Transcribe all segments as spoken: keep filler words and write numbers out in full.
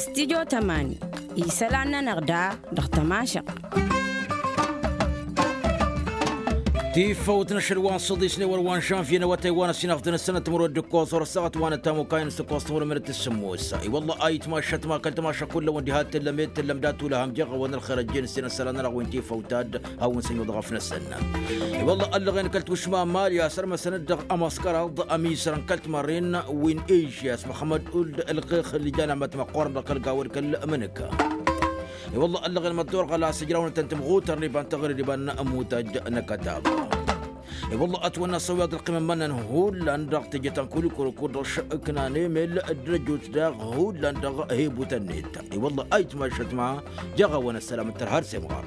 Stidyo tămani isălan-nănăɣ da dăɣ-tămašăɣt. Tifăwt n-ašăl wa n-săḍisne wăr wa n-žănvye n-awătay wa n-ăsinafḍăn ăssănăt timǝrwed d-ǝkkoẓ ɣur-ăssaɣăt wa n-ătamokay n-săkoẓ timǝrwed n-emănăt d-sǝmmos. I-wălla a itmašat ma kăl-tamaša kull-awăn diha t-tǝllăm ed tǝllăm d-atulăhăm jeɣ-awăn ălxer ăjjeen s-inăssălan-nănăɣ wi n-tifăwt-ad hawăn-sănyoḍ ɣăf-năsăn. I-wălla ăllăɣen kăl-tušma mali a sărmăsăn-dd dăɣ-amăskăraḍ ămizăr n-kăl-timarren wi n-ežyas măxămmăd uld ălɣex ǝllijan amat măqqoorăn dăɣ-kăl-gaw d-kăl-mǝnǝka. I-wălla ăllăɣen măddorɣăl a-s ǝjrawnătăn timɣutărăn iba n-taɣre d-iba n-ămutăj n-akătab. I-wălla ătwănna s-ăwweḍ ălqimăn-mănnăn hullan dăɣ-teje ta n-kulikuro kud-dăɣ šăknan emel dd-ăjut daɣ hullan dăɣ-hebutăn-net. I-wălla a itmašăt ma jeɣ-awăn ăssălam d-tărha d-semɣar.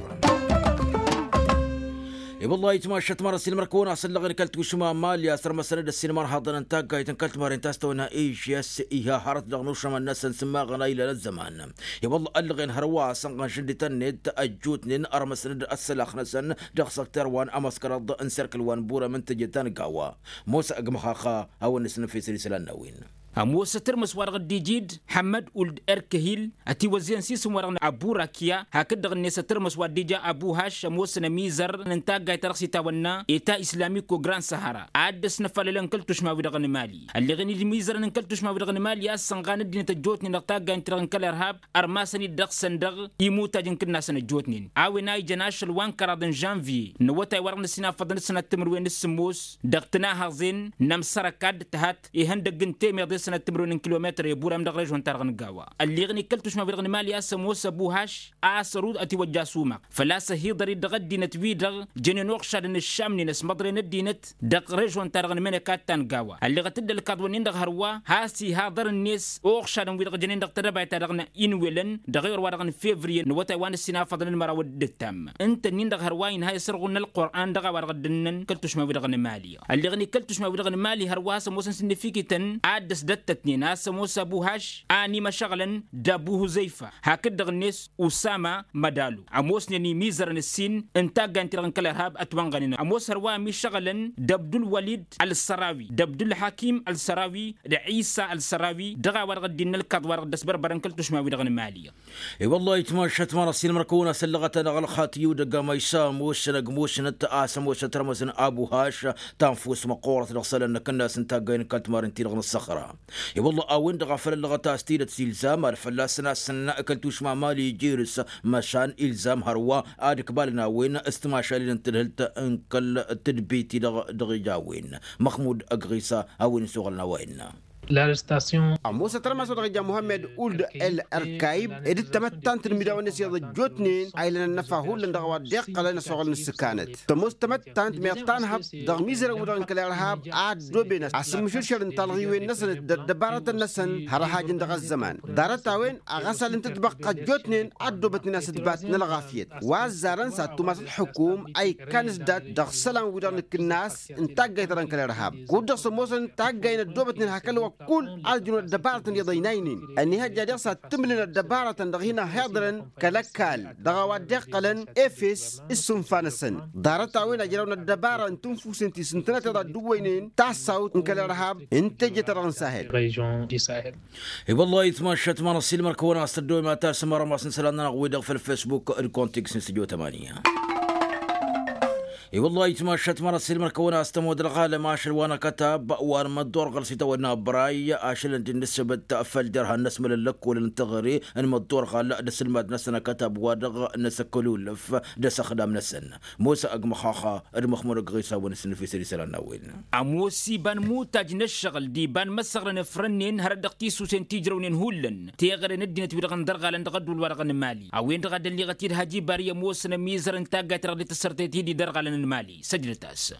I-wălla a itmašăt ma răsilmăr kăwăn-asăllăɣen kăl-tušma mali a sărmăsăn-dd ăssiilmăr haḍăn n-taggayt n-kăl-timarin ta s-tăwănna ežyas iha hărăt dăɣ-nušămăn-năsăn s-immaɣăn a ilăn ăzzăman. I-wălla ăllăɣen hărwa a sănɣăn šǝndităn-net ăjjootnen ărmăsăn-dd ăssălax-năsăn dăɣ-săkter wa n-amăskăraḍ n-serkǝl wa n-burăm n-teje ta n-gawa. Mosa ăgg măxaxa hawăn-nǝsnǝfesăl isălan n-a-wen. Ămoos ătărmăs wa dăɣ-dd-ija-dd ḥămmăd uld erkăhil ătiwăzzeyăn s-isǝm wa dăɣ-n abu rakiya hakd-dăɣ-net ătărmăs wa dd-ija abu haš ămoosăn ămizărăn n-taggayt ta dăɣ-s itawănna eta islamiko grand sahara ad-dd-ăsnăfalălăn kăl-tušma-wi-dăɣ n-mali. Ălleɣen-dd imizărăn n-kăl-tušma-wi-dăɣ n-mali a-s sănɣan ăddinăt ăjjootnen dăɣ-taggay n-ti-dăɣ n-kăl-irhab ărmasăn-dd dăɣ-săn dăɣ-imutaj n-kǝnnasăn ăjjootnen a-wen a ijăn ašăl wa n-kăraḍ n-žănvye n-awătay wa dăɣ-năsinafăḍăn d-sănat timǝrwen d-sǝmmos dăɣ-tǝnahăẓen n-amsărăka d-tǝhat ihăndăgg n-temeḍe sănăt timǝrwen n-kilometăr i-burăm dăɣ-režon-ta-dăɣ n-gawa. Ălleɣ-ni kăl-tušma-wi-dăɣ n-mali a-s ămoos ăbu haš a-s ărut ătiwăjja asumaɣ făl-a-s ăhiḍăr-dd dăɣ-ăddinăt-wi-dăɣ jănen uɣšadăn ǝššamnen ăsmăḍren ăddinăt dăɣ-režon-ta-dăɣ n-mănăkat ta n-gawa. Ălleɣăt-dd ălkaḍ-wǝnnin-dăɣ hărwa has-ihaḍăr-net uɣšadăn-wi-dăɣ jănen dăɣ-tedăbayt-ta-dăɣ n-inwelăn dăɣ-ewăr wa-dăɣ n-fevriye n-awătay wa n-ǝssin afăḍăn d-măraw d-ǝttam. Ǝnta-nin-dăɣ hărwa inha isărɣul n-ălqur'an dăɣ-a-wa-dăɣ dd-ǝnnăn kăl-tušma-wi-dăɣ n-mali. Ălleɣ-ni kăl-tušma-wi-dăɣ n-mali hărwa a-s ămoosăn s-ǝnnǝfikităn ad-dd-ăsdăttătnen a-s ămoos abu haš a ănimăšăɣlăn d-abu huzăyfa hakd-dăɣ-net usama mădalu. Ămoosnen imizărăn ǝssin n-taggay n-ti-dăɣ n-kăl-irhab ătwănɣănen ămoos hărwa ămišăɣlăn d-abdul-walid ălsărawi d-abdul-hakim ălsărawi d-ɣisa ălsărawi dăɣ-a-wa-dăɣ dd-innă ălkaḍ wa-dăɣ dd-ăsbărbărăn kăl-tušma-wi-dăɣ n-mali. I-wăllah itmašăt ma n-ăssiilmăr-kăwăn-asăllăɣăt-anăɣ ălxatyǝw dăgg-amăysa ămoosăn ăgg musnăt a-s ămoosnăt rămăsăn abu haš tanfust măqqoorăt dăɣ-isălan n-akǝnnas n-taggay n-kăl-timarin-ti-dăɣ n-ăṣṣăxra. I-wăllah a-wen-dăɣ a făl ăllăɣăt a-s tidăt s-ilzam ad-fălla-săn a-s sănnăkăl tušma mali ijirǝs măšan ilzam hărwa ad-ǝkbalăn a-wen s-timašalin n-tǝdhǝlt n-kăl-tǝdbit-i-dăɣ dăɣ-ija a-wen. Măxmud ăgg ɣisa a-wen isuɣǝlăn a-wa innă. Ămoosăt rămas wa dăɣ-ija muhămmed uld el ărkayb ed d-tamăttant n-imidawăn-net iyyăḍ ăjjootnen a ilăn ănnăfa hullan dăɣ-a-wa dd-iqqălăn ăsoɣăl n-ǝssǝkanăt. Tămoos tamăttant meɣ tanhăḍt dăɣ-imizărăn-wi-dăɣ n-kăl-irhab a ăddooben a-s ǝmmǝšǝlšălăn talɣiwen-năsăn d-ăddăbarătăn-năsăn har ăhajǝn dăɣ-ăzzăman. Ḍarăt-a-wen aɣăsal n-tǝtbăqqa ăjjootnen a ăddoobătnen a-s ǝtbat n-ălɣafyăt wa ăzzarăn s-ad-tumas ălxukum a ikkan s-dat dăɣ-isălan-wi-dăɣ n-akǝnnas n-taggayt-ta-dăɣ n-kăl-irhab. Kud-dăɣ s-ămoosăn taggay n-ăddoobătnen hak ălwăqq kull a ăljunud ăddăbarătăn iyyăḍ ăynaynen ănihăjja diɣ s-ad-tǝmlǝlăn ăddăbarătăn dăɣ-hin-ăhiḍrăn kăl-ăkall dăɣ-a-wa dd-iqqălăn efes s-sunfa-năsăn. Ḍarăt-a-wen ăjrăwăn ăddăbara n-tinfusen ti s-ǝntănăt iḍa ăddǝwwăynen tassawt n-kăl-irhab n-teje-ta-dăɣ n-sahel. I-wăllah itmašăt ma n-ăssiilmăr-kăwăn a-s tăddăwem ad-tasǝm armas n-isălan-nănăɣ-wi-dăɣ făll-fesbuk d-kontiks n-studio tămania. I-wăllah itmašăt ma n-ăssiilmăr-kăwăn a-s tămod ălɣalăm ašăl wa n-akătab wa n-măddoor ɣăr-s itawănna bray ašălăn-dd-nǝssǝbǝt făll-derha n-inăsmălăn lăkkolăn n-teɣăre n-măddoor ɣal d-asǝlmad-năsăn akătab wa dăɣ-năsăkkălulăf d-asăxdam-năsăn. Mosa ăgg măxaxa d-măxmud ăgg ɣisa wa n-asǝnnǝfesăl isălan n-a-wen. Ămoos iba n-imutaj n-ǝššăɣǝl d-iba n-imăsăɣrăn ăfrănnen hărăt dăɣ-tisusen ti ǝjrăwnen hullan teɣăre n-ăddinăt-wi-dăɣ n-dărɣalăn dăɣ-ădduul-wa-dăɣ n-mali a-wen-dăɣ a dd-ălliɣăt-dd hajibari ămoosăn ămizăr n-taggayt-ta-dăɣ dd-tăssărtet-dd idărɣalăn n-mali săjdăt-as.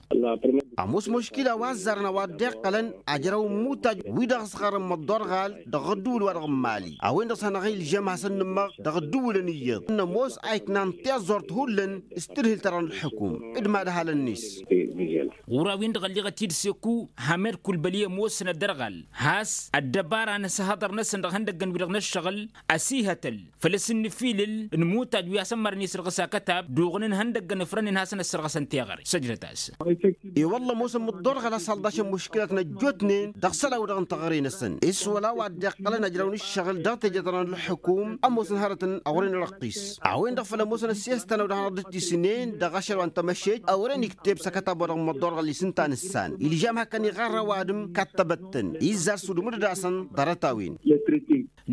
Ămoos muškila wa ăzzarăn a-wa dd-iqqălăn ajrăw n-imutaj wi-dăɣ ăsɣărăn măḍḍorɣal dăɣ-ădduul-wa-dăɣ n-mali a-wen-dăɣ s-hanăɣ-ilžăm hasăn-nǝmmăɣ dăɣ-ădduulăn iyyăḍ n-ămoos a iknan tiẓẓurt hullan s-tǝdhǝl-ta-dăɣ n-ǝlḥǝkum d-imadhalăn-net. Ɣur-a-wen-dăɣ ălliɣăt-dd seku hamed kulbăli ămoosăn ăddărɣal has-ăddăbara n-asǝhhăḍăr-năsăn dăɣ-ihăndăggăn-wi-dăɣ n-ǝššăɣǝl ăsihătăl făll-asǝnnǝfilǝl n-imutaj wi asămmărnen isrăɣǝs akătab d-uɣǝn n-ihăndăggăn ǝfrănnen hasăn-ăssărɣăsăn. Teɣăre săjdăt-as. I-wălla ămoosăn mǝḍḍorɣăl a-s hălḍašăn muškǝlatăn ăjjootnen dăɣ-isălan-wi-dăɣ n-teɣăre-năsăn s-wăla wa dd-iqqălăn ăjrăwăn ǝššăɣǝl dăɣ-teje-ta-dăɣ n-ălḥukum. Ămoosăn hărătăn ăwren răqqis a-wen-dăɣ făl ămoosăn ăssiyăs-tăn a-wen-dăɣ hanăɣ-dd-tisǝnen dăɣ-ašăl wa n-tamăšej ăwren ikteb s-akătab-wa-dăɣ n-imǝḍḍorɣăl-i s-ǝnta n-ǝssan ilžam hak-kăn iɣarrăw adǝm kattăbăt-tăn izzar s-udǝm d-ad-asăn. Ḍarăt-a-wen.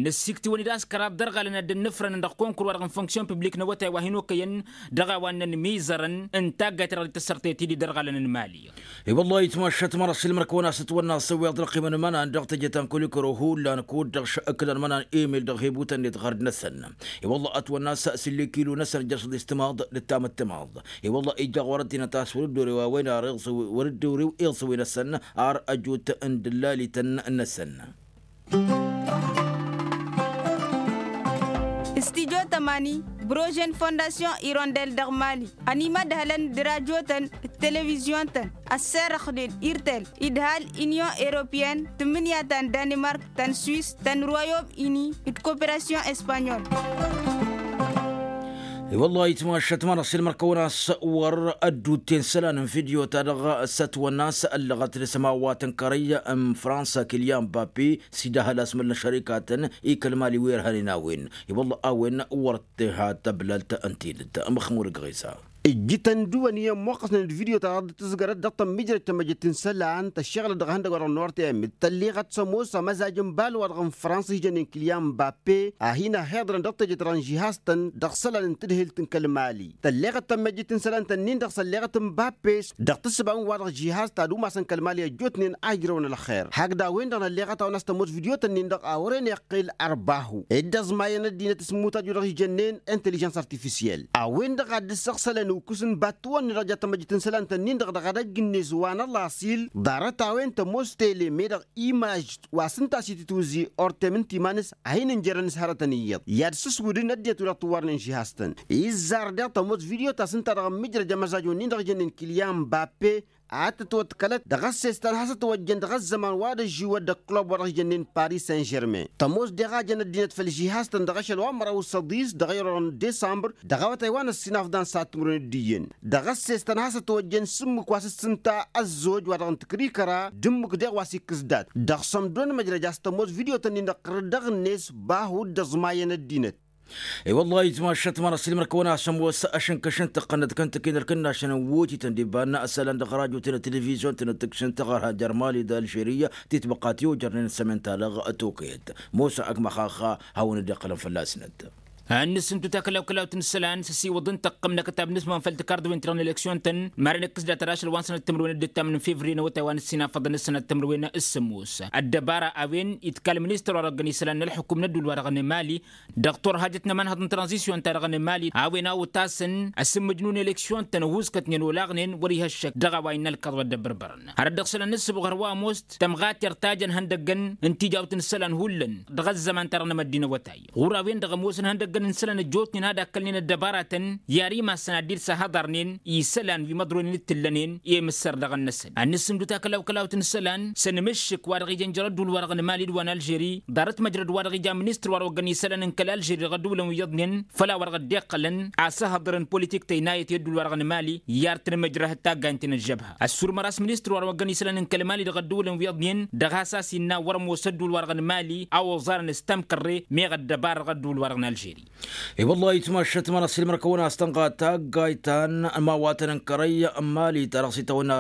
Năssiktǝwăn-dd a-s kăraḍ dărɣalăn ad-dd-ănnǝfrănăn dăɣ-konkǝr-wa-dăɣ n-funksyon piblik n-awătay wa hin-okăyăn dăɣ-a-wa ǝnnăn imizărăn n-taggayt-ta-dăɣ dd-tăssărtăyăt-dd idărɣalăn n-imali. I-wăllah itmašat măra s-ilmăr-kăwăn-as ătwănna s-ăwweḍ ălqimăn n-imănan dăɣ-teje ta n-kulikăro hullan kud-dăɣ š-ǝkǝlăn imănan emil dăɣ-hebutăn-net ɣărd-năsăn. I-wăllah ătwănna s-sǝlli kilu-năsăn ǝjjăšăḍ-i s-timaḍ d-tamǝttǝmaḍ. I-wăllah ija ɣur-ăddinăt a-s wăr-dd-orew a-wen ar iɣsǝw wăr-dd-orew iɣsǝwen-năsăn ar ăjut n-dăllaliten-năsăn. Studyo tămani brožen fondasyon irondel dăɣ-mali ănimădhălăn d-rajotăn d-televizyon-tăn ăsserăxnen irtel idhal inyon europeyăn tǝmmǝnǝya ta n-danimark ta n-swis ta n-royom ini d-koperasyon espanyol. I-wăllah itmašat măra s-ilmăr-kăwăn-as wăr ăddutten isălan n-fidyo-ta-dăɣ s-ătwănna s-ăllăɣăt d-asămawat n-kărăy n-fransa kilyan bapi s-idahăl asmăl n-ašărikatăn i-kăl-mali wi ărhănen a-wen. I-wălla a-wen wăr t-iha tăblalt n-tidǝt măxmud gɣisa. Ǝjjǝtăn dăw-ăniyăn ămmoqqăsnen d-video-ta-dăɣ dd-tǝzgărăt dăɣ-tămmijrăj tamăjjăt n-isălan tăššeɣlăt dăɣ-ihăndăgg-wa-dăɣ n-ortăyăn mǝttălliɣăt s-ămoos amăzaj n-balwa-dăɣ n-fransa ijănen kilyan bape a hin-ăhhiḍărăn dăɣ-teje-ta-dăɣ n-žihaz-tăn dăɣ-isălan n-tǝdhǝlt n-kăl-mali tălleɣăt tămmăjjăt n-isălan-tăn-in-dăɣ sălleɣăt n-bappes. Dăɣ-tǝssǝba n-wa-dăɣ žihaz ta d-umasăn kăl-mali ăjjootnen a ǝjrăwăn ălxer hakd a-wen-dăɣ nălleɣăt-awăn a-s tămoos video-tăn-in-dăɣ a wăren iqqel ărbahu dd-ăẓmayăn ăddinăt s-immutaj wi-dăɣ ijănnen intellijăns artifisiyel. A-wen-dăɣ a dd-ǝssăɣsălăn ukǝs n-battǝwăn-ni-dăɣ ja tămăjjăt n-isălan-tăn-in-dăɣ dăɣ-edăgg-net wa n-ălaṣil. Ḍarăt-a-wen tămoos tele meddăɣ imaj wa s-ǝnta a-s itǝtwǝzzi ortem n-timan-s a hin-ǝnjărăn s-hărătăn iyyăḍ i-ad-sǝswǝdǝn ăddinăt wi-dăɣ tǝwwarnen žihaz-tăn. Izzar daɣ tămoos video ta s-ǝnta dăɣ-ǝmmǝjrăj amăzaj-wen-in-dăɣ ijănnen kilyan bappe a tătwăḍkălăt dăɣ-ăssestan hasăt-ăwăjjăn dăɣ-ăzzăman wa dd-ăžžiwăt dăɣ-klub wa dăɣ-ijănnen paris saint-žermain tămoos deɣ a jăn ăddinăt făll-žihaz-tăn dăɣ-ašăl wa n-măraw s-ăḍis dăɣ-ayăḍ n-disămbăr dăɣ-awătay wa n-ăssinafḍan s-ad-timǝrwen d-iyyăn. Dăɣ-ăssestan hasăt-ăwăjjăn s-ǝmmǝk wa s-ǝssǝnta ăzzoj wa dăɣ-n tǝkrikăra d-ǝmmǝk deɣ wa s-ikkǝs dat dăɣ-sămdon măjrăj a-s tămoos video-tăn-in-dăɣ ɣǝr-dăɣ-net bahu dd-ăẓmayăn ăddinăt. I-wăllah itmašat măra s-ilmăr-kăwăn-as ămoos ašǝnkăš n-tăqqănăt kăntăken ălkănnašăn n-wutităn d-ibanna ăsălan dăɣ-rajotăn d-televizyon-tăn d-tǝkšǝn tăɣărha jer-mali d-alžeri titbăqqat i-ojărnen s-amen-ta-dăɣ tokăyăt mosa ăkmaxaxa hawăn-dd-iqqălăn fălla-snăt. Ad-nǝsǝntu takălaw-kălawt n-isălan s-ăsiwăḍ n-tăqqăm n-akătab n-asmăɣ n-făll-tǝkarḍăwen-ti-dăɣ n-eleksyon-tăn maren ǝkkǝs dat-ad-ašăl wa n-sănăt timǝrwen d-ǝttam n-fevriye n-awătay wa n-ǝssinafăḍăn s-sănăt timǝrwen s-sămoos ăddăbara a-wen itkal ministăr wa dăɣ-găn isălan n-ălxukum n-ădduul wa dăɣ-nǝmali. Dăɣ-turhajăt n-ămanhăḍ n-tranzisyon-ta-dăɣ n-mali a-wen a otasăn asǝmmǝj n-unelăksyon-tăn ăhuuskătnen olaɣnen wăr-iha ăššăk dăɣ-a-wa innă ălkaḍ wa dd-ăbbărbărăn. Hărăt dăɣ-isălan n-ǝssǝbɣăr wa ămoos tămɣatert ta jăn ihăndăggăn n-tijawt n-isălan hullan dăɣ-ăzzăman-ta-dăɣ n-emăddi n-awătay ɣur-a-wen-dăɣ ămoosăn ihăndăggăn n-isălan ăjjootnen ad-akkălnen ăddăbaratăn i-ar imassăn ad-dd-săhhăḍărnen i-isălan wi măḍronen d-tǝllănen i-imǝssăr dăɣ-năsăn ad-nǝssǝmdǝw takălawkălawt n-isălan s-ănmǝššǝk wa dăɣ-ijăn jer-ădduul-wa-dăɣ n-mali d-wa n-alžeri. Ḍarăt măjrăd wa dăɣ-ija ministăr wa dăɣ-oggăn isălan n-kăl-alžeri dăɣ-ădduulăn wi iyyăḍnen făll-a-wa dăɣ-dd-iqqălăn asǝhhăḍărăn politik tăynayăt i-ădduul-wa-dăɣ n-mali i-ar tǝnmǝjrăhăt taggaynt-in-ăžžăbha. Ăssurmăr a-s ministăr wa dăɣ-oggăn isălan n-kăl-mali dăɣ-ădduulăn wi iyyăḍnen dăɣ-has a-s innă wăr-ămoos ădduul-wa-dăɣ n-mali a oẓarăn s-tamkărre meɣ ăddăbar dăɣ-ădduul-wa-dăɣ n-alžeri. I-wăllah itmašat măra s-ilmăr-kăwăn a-s tănɣa taggayt ta n-ămawatăn n-kărăy n-mali ta dăɣ-s itawănna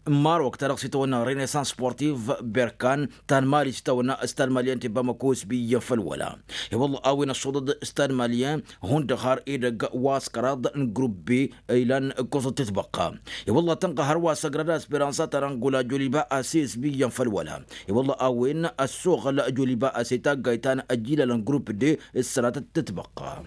n-marok ta dăɣ-s itawănna renaissance sportiv berkan ta n-mali s-itawănna stad malyan ti-bamako s-bi iyyăn făll-wăla. I-wăllah a-wen ăṣṣuḍăd stad malyan hundăɣ har edăgg wa s-kăraḍ n-grupp b ilan ǝkkoẓăd tǝtbăqqa. I-wăllah tănɣa hărwa s-ăgrad asperansa ta n-angola joliba ase s-bi iyyăn făll-wăla. I-wăllah a-wen ăssoɣăl joliba ase taggayt ta n-ăjilal n-grupp d ǝssănatăt tǝtbăqqa.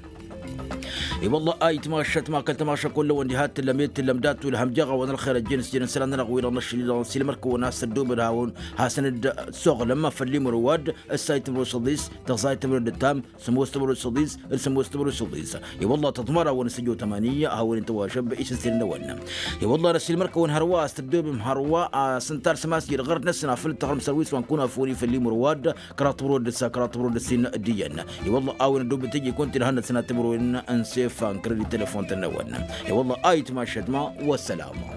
I-wăllah a itmašat ma kăl-tamaša kullăwăn diha t-tǝllăm ed-tǝllăm dat-tulhăm jeɣ-awăn ălxer ăjjeen s-jănen isălan-nănăɣ-wi-dăɣ n-ašăl-i-dăɣ n-silmăr-kăwăn a-s tăddoobăd hawăn hasăn-dd-soɣlăm făll-imrǝwad ǝssa itmrǝw s-ăḍis tăẓẓa itmrǝw d-ǝttam sămoos timrǝw s-ăḍis d-sămoos timrǝw s-ăḍis. I-wălla tăḍmăr-awăn s-ăjo tămani a hawăn-in-tăwašăb isǝnsiren-năwăn. I-wălla n-ăsilmăr-kăwăn hărwa a-s tăddoobem hărwa a-s ǝnta ar sămas-i d-ɣărd-năsăn afăl tăɣrǝm sărwis wa n-kunafoni făll-imrǝwad kăraḍ timrǝw d-ǝssa kăraḍ timrǝw d-ǝssin d-iyyăn. I-wălla a-wen ăddoobet iji kunta-dd hannăt sănat timrǝwen n-sef. Fan kredit telefon-tăn-năwăn. I-wălla ayǝtmašăt ma. Wăssalama.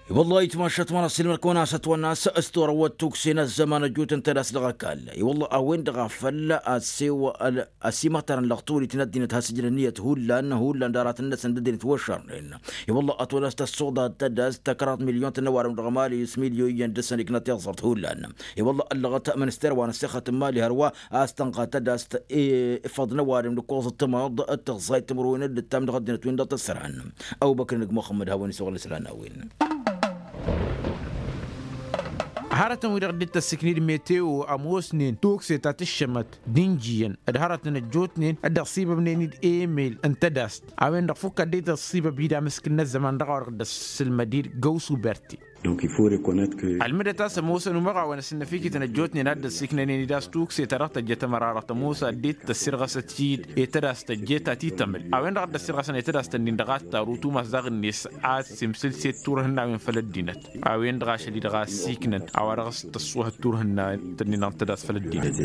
I-wălla ayǝtmašăt ma n-asǝlmăr-kăwăn a-s ătwănna s-torăwăt tukse n-ăzzăman ăjut n-tadast dăɣ-ăkall i-wălla a-wen-dăɣ a făl. Asimătărăn lăɣ tolităn ăddinăt has-ǝjrăn ǝnniyăt hullan hullan d-aratăn-năsăn d-ăddinăt wăšărnen. I-wălla ătwănna s-tăssoḍa tadast tăkrat milyon tăn-ăwadǝm dăɣ-mali s-milyon iyyăn dăr-săn iknat iẓẓărt hullan. I-wălla ăllăɣăt minister wa n-ăssixăt n-mali hărwa a-s tănɣa tadast ifăḍ n-ăwadǝm d-ǝkkoẓ d-timaḍ d-tăẓẓayt timǝrwen d-ǝttam dăɣ-ăddinăt-win-dăɣ tăsran. Ăbubăkr n-ăgg muxămmăd hawăn-isăɣlăn isălan a-wen. Hărătăn-wi-dăɣ dd-tăssikni d-meteo ămoosnen tukse ta tǝššămăt d-injǝyăn d-hărătăn ăjjootnen dd-ăṣṣibăbnen-dd emel n-tadast a-wen-dăɣ fukk ad-dd-tăṣṣibăb-dd amǝskǝl n-ăzzăman dăɣ-a-wa dăɣ-dd-ăssǝlmăd-dd găw s-uberti. Ălmǝdăt a-s ămoosăn umăɣawăn ăsǝnnăfikităn ăjjootnen a dd-ăssiiknănen-dd a-s tukse ta dăɣ-tăjjăt ămăra-dăɣ tămoos ad-dd-tăssirɣăsăt-dd i-tadast tăjjeet ta titămăl a-wen-dăɣ a dd-ăssirɣăsăn i-tadast-nin-dăɣ a t-taru tumas daɣ-net a t-simsǝlset turhǝnnawen făll-ăddinăt. A-wen-dăɣ ašăl-i-dăɣ a ăssiiknăn a-wa dăɣ-s tăṣṣuhăt turhǝnnawăn-tăn-in-dăɣ n-tadast făll-ăddinăt.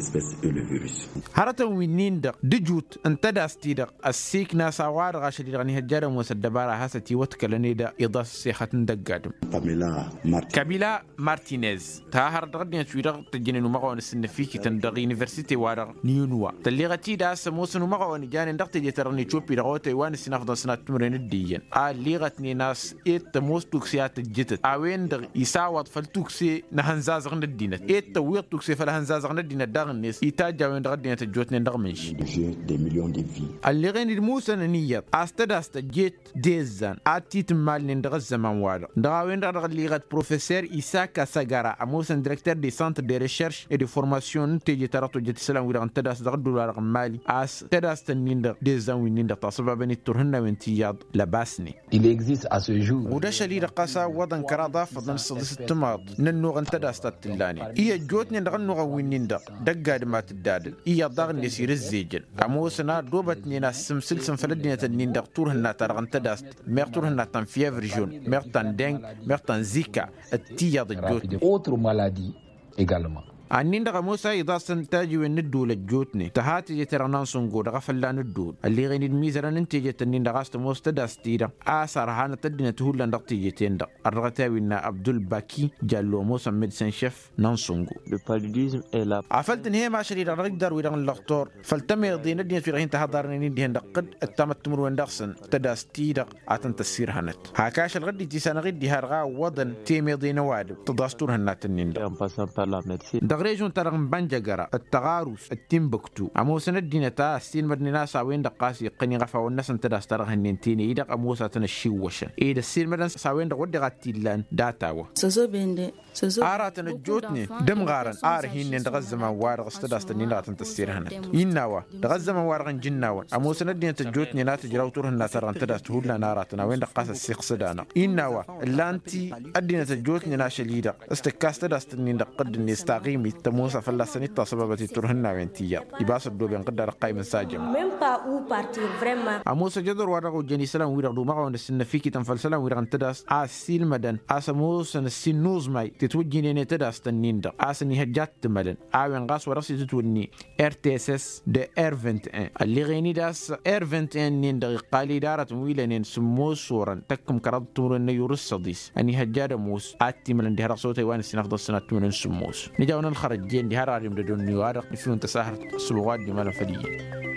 Hărătăn wi-nin-dăɣ d-ǝjut n-tadast-i-dăɣ ăssiikna a-s a-wa-dăɣ ašăl-i-dăɣ ăniihăjja ad-ămoos ăddăbara a has-ătiwăḍkălăn ed iḍas ăssexăt n-dăgg-adǝm. Kabila martinez tăha hărăt dăɣ-ăddinăt-wi-dăɣ tăjjănen umăɣawăn ăsǝnnăfikităn dăɣ-universite-wa-dăɣ n-inuwa tălleɣăt-dd a-s ămoosăn umăɣawăn ǝjanen dăɣ-teje-ta-dăɣ n-ecoppi dăɣ-otay wa n-ǝssin afḍăn sănat timǝrwen d-iyyăn a ălleɣătnen a-s ed tămoos tukse a tăjjǝtăt a-wen-dăɣ isawăḍ făll-tukse n-ehănzazăɣ n-ăddinăt ed tăwweḍ tukse făll-ehănzazăɣ n-ăddinăt daɣ-net itajj a-wen-dăɣ ăddinăt ăjjootnen dăɣ-imǝnš. Ălleɣen-dd musăn ăniyyăḍ a-s tadast tăjjeet d-ezzan ad-t-itǝmmalnen dăɣ-ăzzăman-wa-dăɣ dăɣ-a-wen-dăɣ dăɣ-ălliɣăt professor isaka săgăra ămoosăn direkter de centre de recherche et de formation n-teje-ta-dăɣ tojjăt isălan-wi-dăɣ n-tadast dăɣ-ădduul-wa-dăɣ n-mali a-s tadast-nin-dăɣ d-ezzan wi-nin-dăɣ tasăbabăn-dd turhǝnnawen tiyyăḍ lăbasnen. Ɣud ašăl-i-dăɣ ɣas a ǝwwăḍăn kăraḍ afăḍăn s-săḍis d-timaḍ n-ănnuɣ n-tadast a t-tǝllanen i-ăjjootnen dăɣ-ănnuɣăn wi-nin-dăɣ dăgg-adǝm a t-ǝddadăn iyyăḍ daɣ-net irǝzzejăn ămoosăn a ăddoobătnen a ăssǝmsǝlsǝm făll-ăddinăt-nin-dăɣ turhǝnna-ta-dăɣ n-tadast meɣ turhǝnna ta n-fievre žon meɣ ta n-deng meɣ ta n-zika d-tiyyăḍ ăjjootnen. Ănnin-dăɣ ămoos a iḍasăn tajiwen n-ǝddǝwǝl ăjjootnen tǝha teje-ta-dăɣ n-ansǝngo dăɣ-efălla n-ǝddǝwǝl ălleɣen-dd imizărăn n-tejet-ǝnnin-dăɣ a-s tămoos tadast-i-dăɣ a-s ărhanăt ăddinăt hullan dăɣ-tejet-en-dăɣ ărrăɣăt i-a-wen n-abdulbaki jallo ămoosăn medsen šef n-ansǝngo. Afăl tǝnhăyăm ašăl-i-dăɣ dăɣ-ijdar-wi-dăɣ n-lăxtor făll-tămeḍe n-ăddinăt-wi-dăɣ hin-tăhaḍarnen-in dihen dăɣ-tăt-ăttamăt timǝrwen dăɣ-săn tadast-i-dăɣ a tăn-tăssirhănăt hak ašăl ɣǝddit isanăɣ-dd diha-dăɣ a ǝwwăḍăn temeḍe n-ăwadǝm tǝḍas turhǝnna-tăn-in-dăɣ. Dăɣ-režon-ta-dăɣ n-bănjăgăra d-tăɣarus d-tinbǝktu ămoosăn ăddinăt a ăssiilmădnen a-s a-wen-dăɣ ɣas iqqăn iɣăfawăn-năsăn tadast ta dăɣ-hănnen tenăy-i-dăɣ ămoos a tăn-ăššiwwăšăn ed ăssiilmădăn s-a-wen-dăɣ wădden a t-illan data-wa. Aratăn ăjjootnen d-ǝmɣarăn a ărhinnen dăɣ-ăzzăman-wa-dăɣ s-tadast-ǝnnin-dăɣ a tăn-tăssirhănăt innă a-wa dăɣ-ăzzăman-wa-dăɣ ǝnjǝnnawăn ămoosăn ăddinăt ăjjootnen a tǝjraw turhǝnna-ta-dăɣ n-tadast hullan aratăn a-wen-dăɣ ɣas ăssiiqsăd-anăɣ innă a-wa ǝllan-t ăddinăt ăjjootnen ašăl-i-dăɣ s-tǝkkas tadast-ǝnnin-dăɣ ɣǝdd-net taɣimit tămoos a fălla-săn-dd tasăbabăt i-turhǝnnawen tiyyăḍ ibas ăddooben ɣǝdd-a-dăɣ qayǝm n-sajăm. Ămoos ăjădor wa dăɣ-ojjăn isălan-wi-dăɣ d-umăɣawăn ăssinnăfikităn făll-isălan-wi-dăɣ n-tadast a ăssiilmădăn a-s ămoosăn ăssiin n-uẓmay tetwǝjjǝynen i-tadast-ǝnnin-dăɣ a-s ănihăjja ad-t-ǝmălăn a-wen ɣas wa dăɣ-s itǝtwǝnni r t s s d-r vingt et un ălleɣen-dd a-s r vingt et un-nin-dăɣ iqqal-dd aratăn wi lănen sǝmmos orăn tăkkǝm kăraḍ timǝrwen n-ayyur d-săḍis ănihăjja ad-ămoos ad-t-imălăn diha dăɣ-s otay wa n-ǝssin afḍăn sănat timǝrwen sǝmmos. Nǝja-wăn ălxărăjjen diha d-aradem d-ădonniwa-dăɣ ifǝyun tăsahărt s-ălɣu ad-dd-imalăn făll-iyyăn.